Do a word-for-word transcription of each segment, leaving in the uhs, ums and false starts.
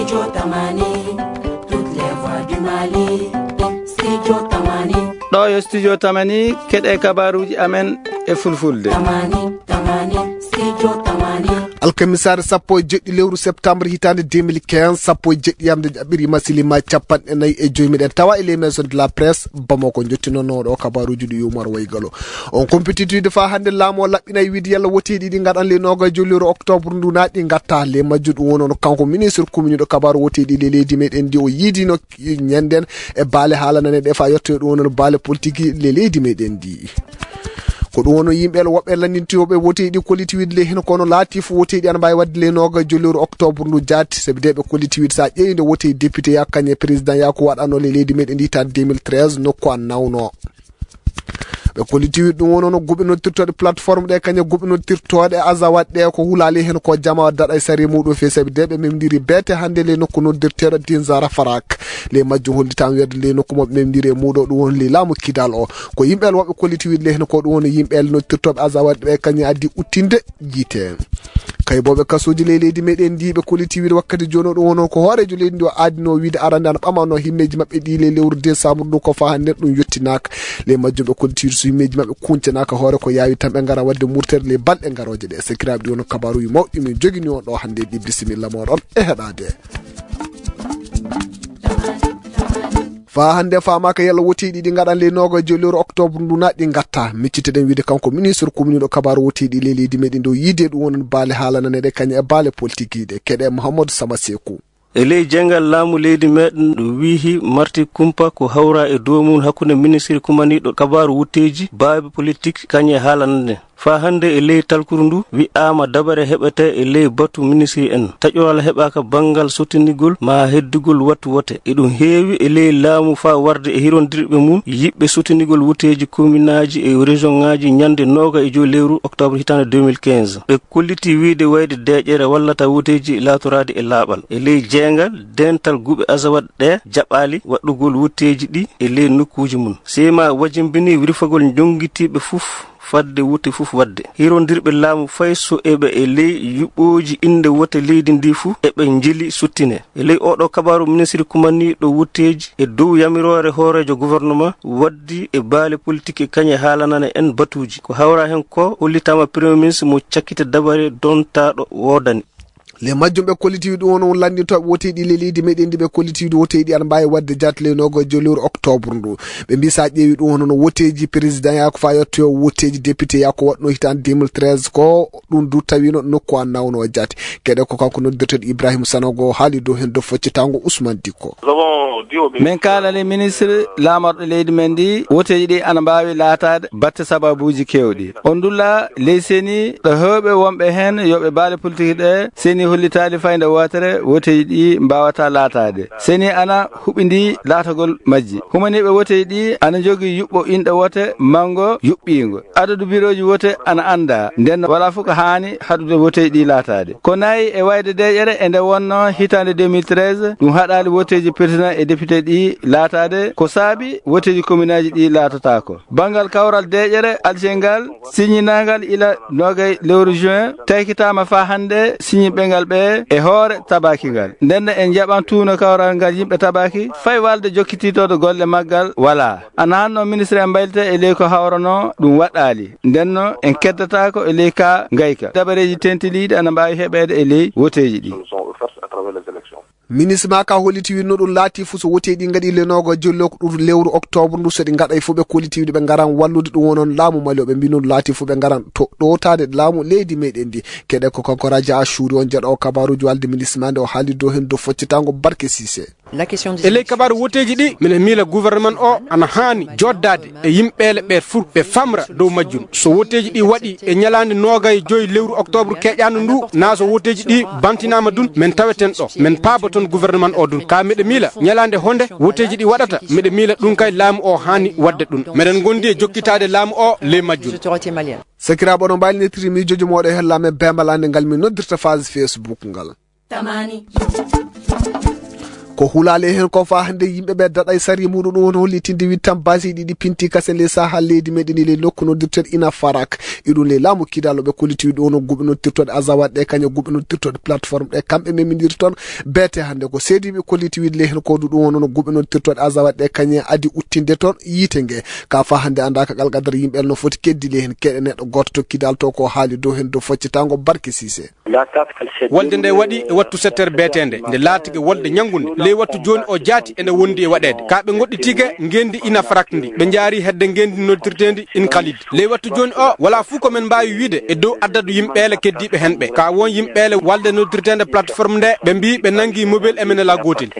Studio Tamani, toutes les voix du Mali. Studio Tamani. Ɗo yo Studio Tamani, keɗe kabaruji amen e fulfulde. Tamani, Tamani, Studio Tamani. Alkamisaare sappo e jeɗɗi lewru septembre hitaande deux mille quinze, sappo e jeɗɗi yamde jaɓɓiri masilima capanɗe nayi e joyi. Miɗen tawa e les maisons de la presse Bamako, jottinonno ɗo kabaruji ɗi Umar Waygalo. On compétitivité fa hannde laamu o laɓɓinay wiide yalla woteeji ɗi ngaɗan le noga e joyi lewru octobre ndu naat ɗi ngatta le majjuɗo won on kanko ministre commune ɗo kabaru woteeji ɗi le leydi meɗen ndi o yiidino ñanden e baale haala nane ɗe fa yettoyo ɗum won on baale politique le leydi meɗen ndi. Ko ɗum woni yimɓe woɓɓe lanndintiyoɓe woteeji ɗi kolliti wiide le hino kono laati fof woteeji ana mbawi wadde le noga e joyi lewru octobre ndu jaati sabi de ɓe kolliti wiide sa ƴeewi nde woteeji député yakkañe président yaku waɗano le leydi meɗen ndi tan deux mille treize nokku an nawno. Ɓe kolliti wiide ɗum wono no guɓe noddirtoɗe plateforme ɗe kañe guɓe noddirtoɗe azawat ɗe ko hulali hen ko jama daɗa e sari muɗum fe sabi de ɓe memdiri beete hannde le nokku noddirteɗo dinzara farak le majjum hollitan werde le nokku mo ɓe memdiri e muɗo ɗum woni le laamu kidal o. Ko yimɓe woɓɓe kolliti wiide le hen ko ɗum woni yimɓe noddirtoɓe azawat ɓe kañe addi uttinde jiite. Kay boɓe kasuji ley leydi meɗen ndi ɓe kolliti wiide wakkati jono ɗum wono ko hoorejo leydi ndi o adino wiide arande ana ɓamano himmeji maɓɓe ɗi le lewru décembre ndu ko fa hannde ɗum yettinaka. Le majjum ɓe kolliti wiide so himmeji maɓɓe kuncanaka hoore ko yawi tan ɓe ngara wadde murtere le balɗe garoje ɗe. Sakiraɓe ɗi wono kabaruji mawɗi min jogini on ɗo hannde ɗi bisimilla moɗon e heɗade. Fa hannde famaka yalla woteeɗi ɗi ngaɗan ley noga e joyi lewru octobre ndu naat ɗi ngatta micciteɗen wiide kanko ministre commune ɗo kabaru woteeɗi ley leydi meɗen ɗo yiide ɗum wonon baale haalananeɗe kañum e baale politique ɗe keɗe Mouhamadou Sama Sekou. E ley jeyngal laamu leydi meɗen ɗo wiihi marti kumpa ko hawra e dow mum hakkunde ministre kumaniɗo kabaru wutteeji baabe politique kañum e haalanande. Faa hannde e ley talkuru ndu wi'aama dabare heɓetee e ley batu ministri en. Taƴoral heɓaaka banngal sottinigol maa heddugol wattu wote. Eɗum heewi e ley laamu faa warde e hirondirɓe mum yiɗɓe sottinigol woteeji kominaaji e rejoŋaaji ñannde nooga e joy lewru oktoobre hitaande deux mille quinze. Ɓe kolliti wiyde wayde deeƴere wallata woteeji laatoraade e laaɓal. E ley jeeyngal, deental guɓe Azawad ɗee jaɓaali waɗɗugol woteeji ɗi e ley nokkuuji mum. Seyma wajimbini wirfagol njonngitiiɓe fof fadde wote fof waɗde. Hirondirɓe laamu fay so eɓe e ley yuɓɓooji innde wote leydi ndi fof eɓe njeli sottine. E ley oɗo kabaru ministri kumaniɗo wotteeji e dow yamiroore hooreejo gouvernement waddi e baale politique e kañe haalanana en batuuji. Ko hawra heen ko hollitaama premier ministre mo cakkite dabare dontaaɗo woodani. Le majjum ɓe kollitiiɗo on on lanndintooɓe woteeɗi le leydi meɗen ndi ɓe kollitiiɗo woteeɗi ana mbaawi waɗde jaat le nogo e joy lewru octobre ndu. Ɓe mbi sa ƴeewi ɗum hono no woteeji président yaa ko faa yettoyo woteeji député yaa ko waɗno hitaande deux mille treize ko ɗum du tawino nokku an nawno jaat. Keɗe ko kanko noddirteɗo Ibrahima Sanogo haali dow heen dow foccitango Ousmane Dikko. Min kaalani ministre laamorɗo leydi men ndi woteeji ɗi ana mbaawi laataade batte sababuuji keewɗi. On ndulla ley seni ɗo heewɓe wonɓe heen yoɓe baale politique ɗe seni hollitaali fayda wootere woteeji ɗi mbaawata laataade. Seni ana huɓindi laatagol majji. Humaniiɓe woteeji ɗi ana njogii yuɓɓo inɗe wote manngo yuɓɓiingo. Adadu birooji wote ana anndaa. Nden wala fof ko haani haɗude woteeji ɗi laataade. Ko nayi e wayde deeƴere e nde wonno hitaande deux mille treize, ɗum haɗaali woteeji président e député ɗi laataade. Ko saabi woteeji kominaaji ɗi laatataako. Banngal kawral deeƴere Alger ngal siñinaangal ila nogay lewru juin, taykitaama faa hannde siñinɓe ngal ɓe e hoore tabaaki ngal. Nden en njaɓan tuuno kawral ngal yimɓe tabaaki, fay walde jokkitiitooɗo golle maggal walaa. Ana hanno ministre en mbaylita e ley ko hawrano ɗum waɗaali. Ndenno en keddataako e ley ka ngayka. Dabareeji tentiliiɗi ana mbaawi heɓeede e ley woteeji ɗi. Ministre ma ka holliti winno ɗum laati fof so woteeɗi ngaɗi le nogo jollo ko ɗum lewru octobre ndu so ɗi ngaɗay fof ɓe kolliti wiɗo ɓe ngaran wallude ɗum wonon laamu mali o ɓe mbi noon laati fof ɓe ngaran to ɗowtaade laamu leydi meɗen ndi. Keɗe ko kanko Raja Ashuri on jeɗo o kabaruji walde ministre ma nde o haali dow hen dow foccitango Barke Sise. E ley kabaaru woteeji ɗi mine miila gouvernement o ana haani joddaade e yimɓeele ɓe fur ɓe famra dow majjum. So woteeji ɗi waɗi e ñalaande noogay joyi lewru octobre keƴaano ndu, naa so woteeji ɗi bantinaama dun, men taweten ɗo. Men paaba ton gouvernement o dun. Ka miɗe miila ñalaande honde woteeji ɗi waɗata, miɗe miila ɗun kay laamu o haani waɗde ɗun. Meɗen ngondi e jokkitaade laamu o ley majjum. Sakiraaɓe, oɗon mbaawi noddirde miijooji mooɗon e hella amen beembalaande ngal min noddirta page Facebook ngal. Tamani. Ko hulaali heen ko faa hannde yimɓe ɓe daɗay sariya muɗum ɗum woni hollitinde wiɗ tan basiiji ɗi pinti kase ley sahaa leydi meɗen e ley nokku noddirteɗo ina farak. Iɗum ley laamu kidaalo ɓe kolliti wiɗ ɗum woni guɓe noddirtooɗe azawaɗ ɗe kañe guɓe noddirtooɗe plateforme ɗe kamɓe memindir toon. Beete hannde ko seediiɓe kolliti wiɗ ley heen ko ɗum ɗum woni guɓe noddirtooɗe azawaɗ ɗe kañe adi uttinde toon yiite nge. Ka faa hannde anndaaka qalqadar yimɓe no foti keddi ley heen keɗe neɗɗo gooto to kidaal to ko haali dow heen dow foccitaango barke siise. Wolde nde waɗi e wattu sept heures beeteende, nde laatike wolde ñanngunde. Ley wattu jooni o jaati ene wondi e waɗeede. Ka ɓe ngoɗɗitiike ngeenndi ina farakndi. Ɓe njaari hedde ngeenndi noddirteendi in kalid. Ley wattu jooni o, wala fuu ko men mbaawi wiide e dow addadu yimɓeele keddiiɓe hen ɓe. Ka won yimɓeele walde noddirteende plateforme nde, ɓe mbii ɓe nanngi mobile M N L A gootel.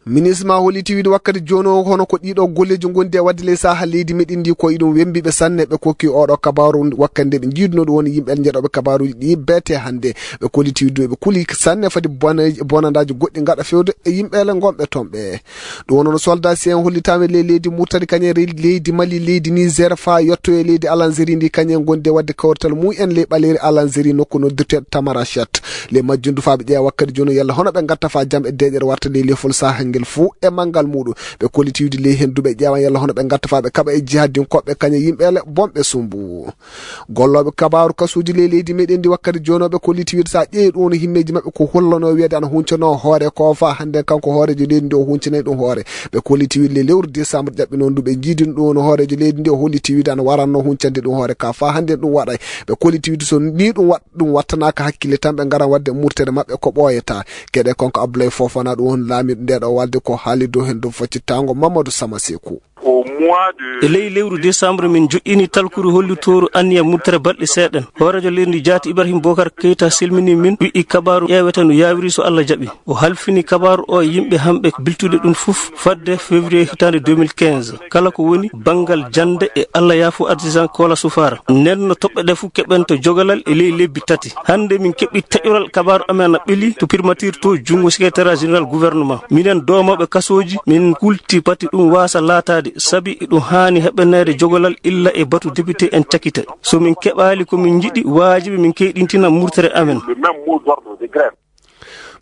Ministre ma holliti wiide wakkati jooni o, hono ko ɗiɗo golleeji ngondi e waɗde ley sahaa leydi meɗen ndi, ko iɗum wembiɓe sanne. Ɓe kokki oɗo kabaaru wakkati nde ɓe njiiduno ɗum woni yimɓe njeɗoɓe kabaaruji ɗi beete hannde. Ɓe kolliti wiide ɓe kuli sanne fadi bona-, bonandaaji goɗɗi ngaɗa fewde e yimɓeele ngonɓe toon ɓe. Ɗum woni no soldat si en hollitaama ley leydi Murtani kañum e leydi Mali, leydi Niger faa yetto e leydi Alanzeri ndi kañum en ngondi e waɗde kawrital mum en ley ɓaleeri Alanzeri nokku noddirteeɗo Tamarachet. Ley majjum du faa ɓe ƴeewa wakkati jooni yalla hono ɓe ngatta faa jam e deeƴere warta ley lefol sahaa ngel fuu e manngal muɗum. Ɓe kolliti wiide ley heen du ɓe ƴeewan yalla hono ɓe ngatta faa ɓe kaɓa e jihadinkooɓe kañum e yimɓeele bonɓe sumbu. Gollooɓe kabaaru kasuuji ley leydi meɗen ndi wakkati jooni o ɓe kolliti wiide so a ƴeewi ɗum woni himmeeji maɓɓe ko hollanoo wiyeede ana huncano hoore ko faa hannde kanko hooreejo leydi ndi o huncanay ɗum hoore. Ɓe kolliti wiide ley lewru décembre ƴaɓɓinoo ndu ɓe njiidino ɗum woni hooreejo leydi ndi o holliti wiide ana waranno huncande ɗum hoore ka faa hannde ɗum waɗay. Ɓe kolliti wiide so ni ɗum waɗ-, ɗum wattanaaka hakkille tan ɓe ngaran waɗde murtere maɓɓe ko ɓooyata. Keɗe kanko Abdoulaye Fofana ɗum woni laamiiɗo ndeɗo walde ko haali dow heen dow foccitaango Mamadou Sama Seku. E ley lewru décembre min joƴƴini talkuru hollitooru anniya murtere balɗe seeɗen. Hooreejo leydi ndi jaati Ibrahim Bokar Keita selmini min wi'i kabaaru ƴeewete no yaawiri so Allah jaɓi. O halfini kabaaru o e yimɓe hamɓe biltude ɗum fof fadde février hitaande deux mille quinze. Kala ko woni banngal jannde e Allah yaafo artisan Kola Sufara. Nden no toɓɓe ɗe fof keɓen to jogalal e ley lebbi tati. Hannde min keɓi taƴoral kabaaru amen ana ɓeli to primature to junngo secrétariat général gouvernement. Minen doomooɓe kasooji, min kulti pati ɗum waasa laataade, sabi ɗum haani heɓaneede jogalal illa e batu député en cakita. So min keɓaali ko min njiɗi, waajibi min keyɗintina murtere amen.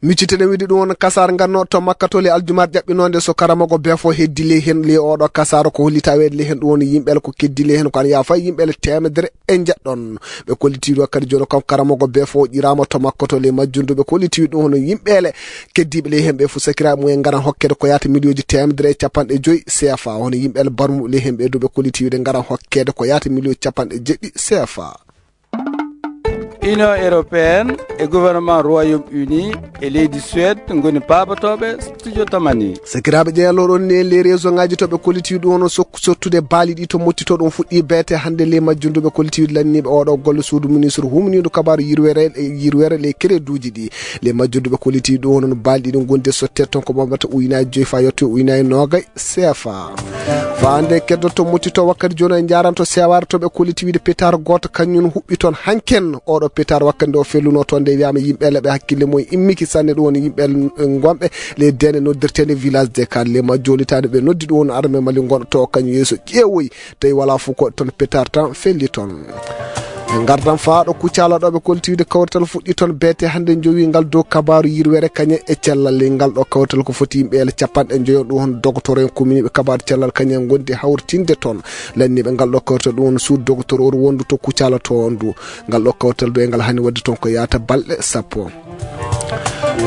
Miccitene wiide ɗum won kasaar nganno to Makka to le aljumaar ƴaɓɓinoonde so karamogo befo heddi ley heen ley oɗo kasaar ko hollita weede ley heen ɗum woni yimɓe ko keddi ley heen ko an yaafa yimɓe teemedere e njeɗɗon. Ɓe kolliti wakkati jooni kam karamogo befo ƴiraama to Makka to le majjundu ɓe kolliti ɗum hono yimɓeele keddiiɓe ley heen ɓe fof sakiraaɓe mum en ngaran hokkede ko yaata miliyooji teemedere e capanɗe joyi C F A hono yimɓeele barmuɓe ley heen ɓe du ɓe kolliti wiide ngaran hokkede ko yaata miliyooji capanɗe jeɗɗi C F A. Union européenne e gouvernement Royaume-Uni e leydi Suède ngoni paabotooɓe studio tamani. Sakiraaɓe ƴeeloɗon ni e les réseau ngaji to ɓe kolliti ɗum hono sokku sottude baali ɗi to mottito ɗum fuɗɗi beete hannde ley majjundu ɓe kolliti lanniiɓe oɗo golle suudu ministre humniiɗo kabaaru yirwere, yirwere ley kereduuji ɗi. Ley majjundu ɓe kolliti ɗum hono baali ɗi ɗum gonde sotte ton ko ɓamata ujunaaji joyi faa yetto ujunaaji noogay. C F A. Faande keddotto muccito wakkati jooni en njaaranto seewaare to ɓe kolliti wiide pétard gooto kañum huɓɓi toon hanken. Oɗo pétard wakkati nde o felluno toon nde wiyaama yimɓe leɓe hakkille mum immiki sanne ɗum woni yimɓe ngonɓe ley deende noddirteende village de Kalle ma jolitaade ɓe noddi ɗum woni armée Mali ngonɗo to kañum yeeso ƴeewoyi tawi wala fof ko toon pétard tan felli toon. En ngardan faa ɗo Kucala ɗo ɓe kolti wiide kawrital fuɗɗi toon beete hannde jowi ngal dow kabaaru yirwere kañe e cellal ley ngal ɗo kawrital ko foti yimɓe ele capanɗe njoyo ɗum hon dogotoro en commune ɓe kabaaru cellal kañe ngondi hawritinde toon. Lanniiɓe ngal ɗo kawrital ɗum hon suud dogotoro wondu to Kucala to on du ngal ɗo kawrital du e ngal hani wadde toon ko yaata balɗe sappo.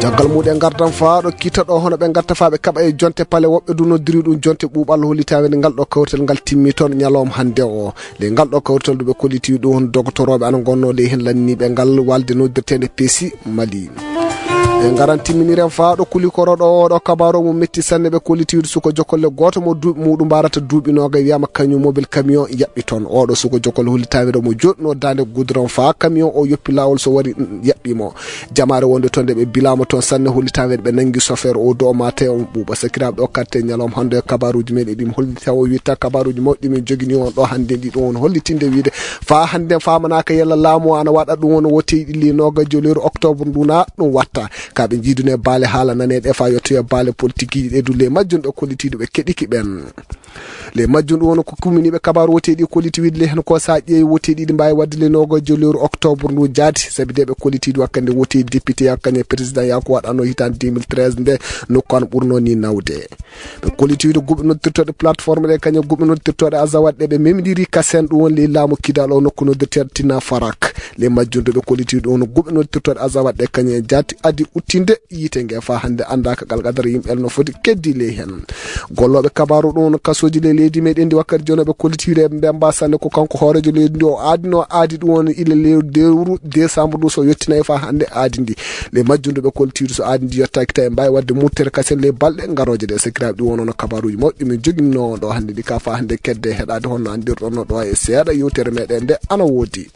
Caggal muɗum ngardan faa ɗo kiita ɗo hono ɓe ngatta faa ɓe kaɓa e jonte pale woɓɓe du noddiri ɗum jonte ɓuuɓal hollitaweede ngal ɗo kawrital ngal timmi toon ñalawma hannde o. Ley ngal ɗo kawrital du ɓe kolliti ɗum hon dogotoroɓe ana ngonno ley heen lanniiɓe ngal walde noddirteende peesi Mali. E ngaran timminiren faa ɗo kulikoro ɗo oɗo kabaaru mo metti sanne ɓe kolliti suko jokolle gooto mo duuɓi muɗum mbarata duuɓi noogay wiyama camion mobile camion yaɓɓi toon. Oɗo suko jokolle hollitaweede mo joɗɗuno daande goudron faa camion o yoppi laawol so wari yaɓɓi mo. Jamaare wonde toon nde ɓe bilaama toon sanne hollitaweede ɓe nanngi chauffeur o do o mate on ɓuuɓa sakiraaɓe ɗo katte ñalawma hannde e kabaaruuji men e ɗim hollita o witta kabaaruuji mawɗi min jogini on ɗo hannde ndi ɗum on hollitinde wiide faa hannde famanaaka yalla laamu o ana waɗa ɗum on wote ɗilli nooga joleeru octobre ndu na ɗum watta ka ɓe njiidune baale haala naneɗe faa yettoya baale politikiiji ɗe dulle majjum ɓe kollitiiɗo ɓe keɗiki ɓen. Le majjum ɗum woni ko kumminiiɓe kabaaru woteeɗi kolliti wiide le heen ko so a ƴeewi woteeɗi ɗi mbaawi waɗde le nogojo lewru octobre ndu jaati sabi de ɓe kolliti ɗi wakkande woteeɗi député yakkane président yako waɗano hitande deux mille treize nde nokku an ɓurno ni nawde. Ɓe kolliti wiide guɓe noddirtooɗe plateforme ɗe kañe guɓe noddirtooɗe azawat ɗe ɓe memɗiri kasen ɗum woni le laamu kidal o nokku noddirteeɗo tina farak. Le majjum ɗo ɓe kolliti ɗum woni guɓe noddirtooɗe azawat ɗe kañe jaati adi uttinde yiite nge fa hannde annda ka galgadara yimɓe no foti keddi ley heen. Gollooɓe kabaaru ɗum kasooji ley leydi meɗen ndi wakkati jono ɓe kollitiire mbemba sanne ko kanko hooreejo leydi ndi o aadino aadi ɗum woni ila lewru décembre ɗum so yettinay fa hannde aadi ndi. Le majjum ɗo ɓe kollitiiru so aadi ndi yettaki tawi mbawi wadde murtere kasen ley balɗe garoje ɗe sakiraɓe ɗum wonono kabaruji mawɗi min joginno ɗo hannde ndi ka fa hannde kedde heɗade honno andirɗon no ɗo e seeɗa yewtere meɗen nde ana woodi.